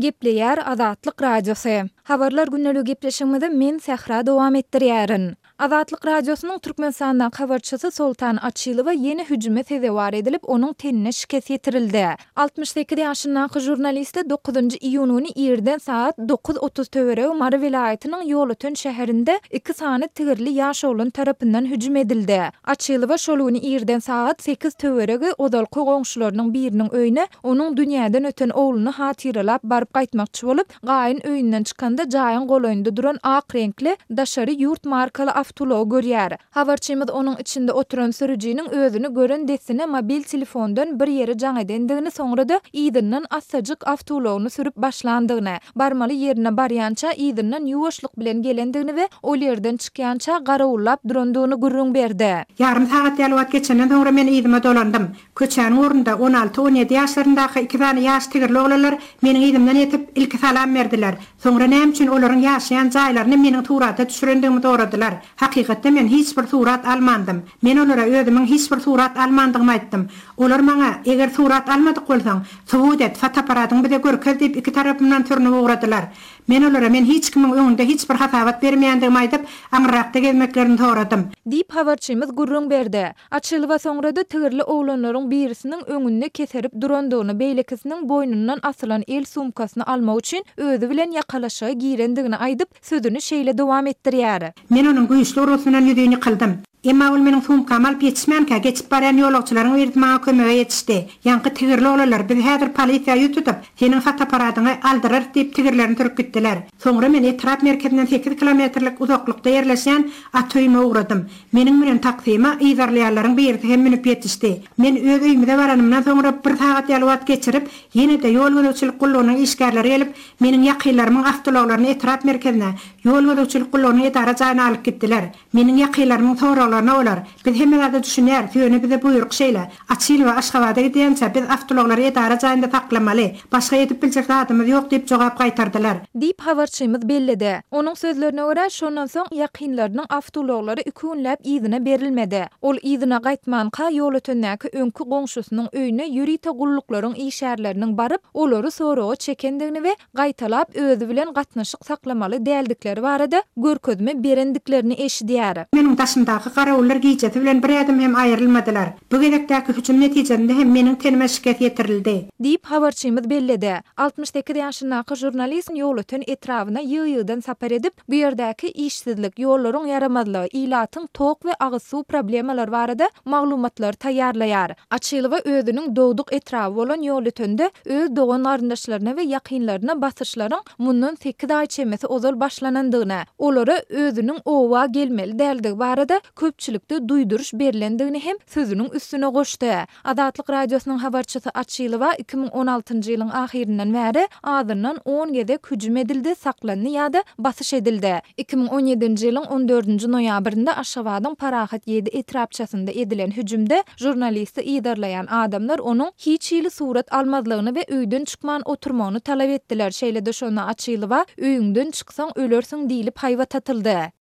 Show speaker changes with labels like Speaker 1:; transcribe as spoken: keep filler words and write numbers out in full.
Speaker 1: Gepleýär Azatlyk Radiosy. Habarlar gündeligi gepleşigimizi men Sähra dowam etdirýärin. Azatlyk Radiosynyň Türkmenistandaky habarçysy Soltan Açylowa ýene hüjüme sezewar edilip, onuň tenine şikes ýetirildi. Altmyş sekiz ýaşyndaky žurnaliste dokuzynjy iýun güni irden sagat dokuz otuz töweregi Mary welaýatynyň Ýolöten şäherinde iki sany tigirli ýaş oglan tarapyndan hüjüm edildi. Açylowa şol güni irden sagat sekiz töweregi ozalky goňşularynyň biriniň öýüne onuň dünýäden öten ogluny hatyralap baryp gaýtmakçy bolup, gaýyn öýünden çykanda jaýyň golaýynda duran ak reňkli daşary ýurt markaly awtoulagy görýär. Habarçymyz onuň içinde oturan sürüjiniň özüni gören dessine mobil telefondan bir ýere jaň edendigini, soňra-da yzyndan assajyk awtoulagyny sürüp başlandygyny, barmaly ýerine barýança yzyndan ýuwaşlyk bilen gelendigini we ol ýerden çykýança garawullap durandygyny gürrüň berdi.
Speaker 2: Ýarym sagat ýaly wagt geçenden soňra men yzyma dolandym. Köçäniň ugrunda on alty-on ýedi ýaşlaryndaky iki sany ýaş tigirli oglanlar meniň yzymdan ýetip, ilki salam berdiler. Soňra näme üçin olaryň ýaşaýan jaýlaryny meniň surata düşürendigimi soradylar. Hakykatda men hiç bir surat almandym. Men olara özümiň hiç bir surat almandygymy aýtdym. Olar maňa, Eger surat almadyk bolsaň, subut et, fotoapparatyňy bize görkez diýip iki tarapymdan sürnüp ugradylar. Men olara men hiç kimiň öňünde hiç bir hasabat bermeýändigimi aýdyp, aňyrrakda gezmeklerini soradym.
Speaker 1: Diýip, habarçymyz gürrüň berdi. Açylowa soňra-da tigirli oglanlaryň birisiniň öňünde keserip durandygyny, beýlekisiniň boýnundan asylan el sumkasyny almak üçin özi bilen ýakalaşyga girendigini aýdyp, sözüni şeýle dowam etdirýär.
Speaker 2: Men onuň güýçli urgusyndan ýüzin ýykyldym. Emma ol meniň sumkamy alyp ýetişmänkä, geçip barýan ýolagçylaryň birisi maňa kömege ýetişdi. Ýaňky tigirli oglanlar, Biz häzir polisiýa ýüz tutup, seniň fotoapparatyňy aldyrarys diýip, tigirlerini sürüp gitdiler. Soňra men etrap merkezinden sekiz kilometrlik uzaklykda ýerleşýän ata öýüme ugradym. Meniň münen taksime yzarlaýanlaryň birisi hem münüp ýetişdi. Men öz öýümize baranymdan soňra bir sagat ýaly wagt geçirip, ýene-de ýol gözegçilik gullugynyň işgärleri gelip, meniň ýakynlarymyň awtoulaglaryny etrap merkezine, ýol gözegçilik gullugynyň edara jaýyna alyp gitdiler. Meniň ýakynlarymyň soraglaryna olar, Biz hemme zada düşünýäris, ýöne bize buýruk şeýle, Açylowa Aşgabada gidýänçä biz awtoulaglary edara jaýynda saklamaly, başga edip biljek zadymyz ýok diýip jogap gaýtardylar.
Speaker 1: Diýip, habarçymyz belledi. Onuň sözlerine görä, şondan soň ýakynlarynyň awtoulaglary iki günläp yzyna berilmedi. Ol yzyna gaýtmanka, Ýolötendäki öňki goňşusynyň öýüne ýörite gulluklaryň işgärleriniň baryp, olary soraga çekendigini we gaýtalap özi bilen gatnaşyk saklamaly däldikleri barada görkezme berendiklerini eşidýär.
Speaker 2: Meniň daşymdaky garawullar gijesi bilen bir ädim hem aýrylmadylar. Bu gezekdäki hüjüm netijesinde hem meniň tenime şikes ýetirildi.
Speaker 1: Diýip, habarçymyz belledi. Altmyş sekiz ýaşyndaky žurnalist Ýolöten etrabyna ýygy-ýygydan sapar edip, bu ýerdäki işsizlik, ýollaryň ýaramazlygy, ilatyň tok we agyz suw problemalary barada maglumatlary taýýarlaýar. Açylowa özüniň dogduk etraby bolan Ýolötende öz dogan-garyndaşlaryna we ýakynlaryna basyşlaryň mundan sekiz aý çemesi ozal başlanandygyny, olara özüniň oba gelmeli däldigi barada köpçülikde duýduryş berlendigini hem sözüniň üstüne goşdy. Azatlyk Radiosynyň habarçysy Açylowa iki müň on altynjy ýylyň ahyryndan bäri azyndan on gezek hüjüm edildi, saklandy ýa-da basyş edildi. Iki müň on ýedinji ýylyň on dördünji noýabrynda Aşgabadyň Parahat ýedi etrapçasynda edilen hüjümde žurnalisti yzarlaýan adamlar onuň hiç hili surat almazlygyny we öýden çykman oturmagyny talap etdiler. Şeýle-de şonda Açylowa öýüňden çyksaň ölersiň diýlip haýbat atyldy.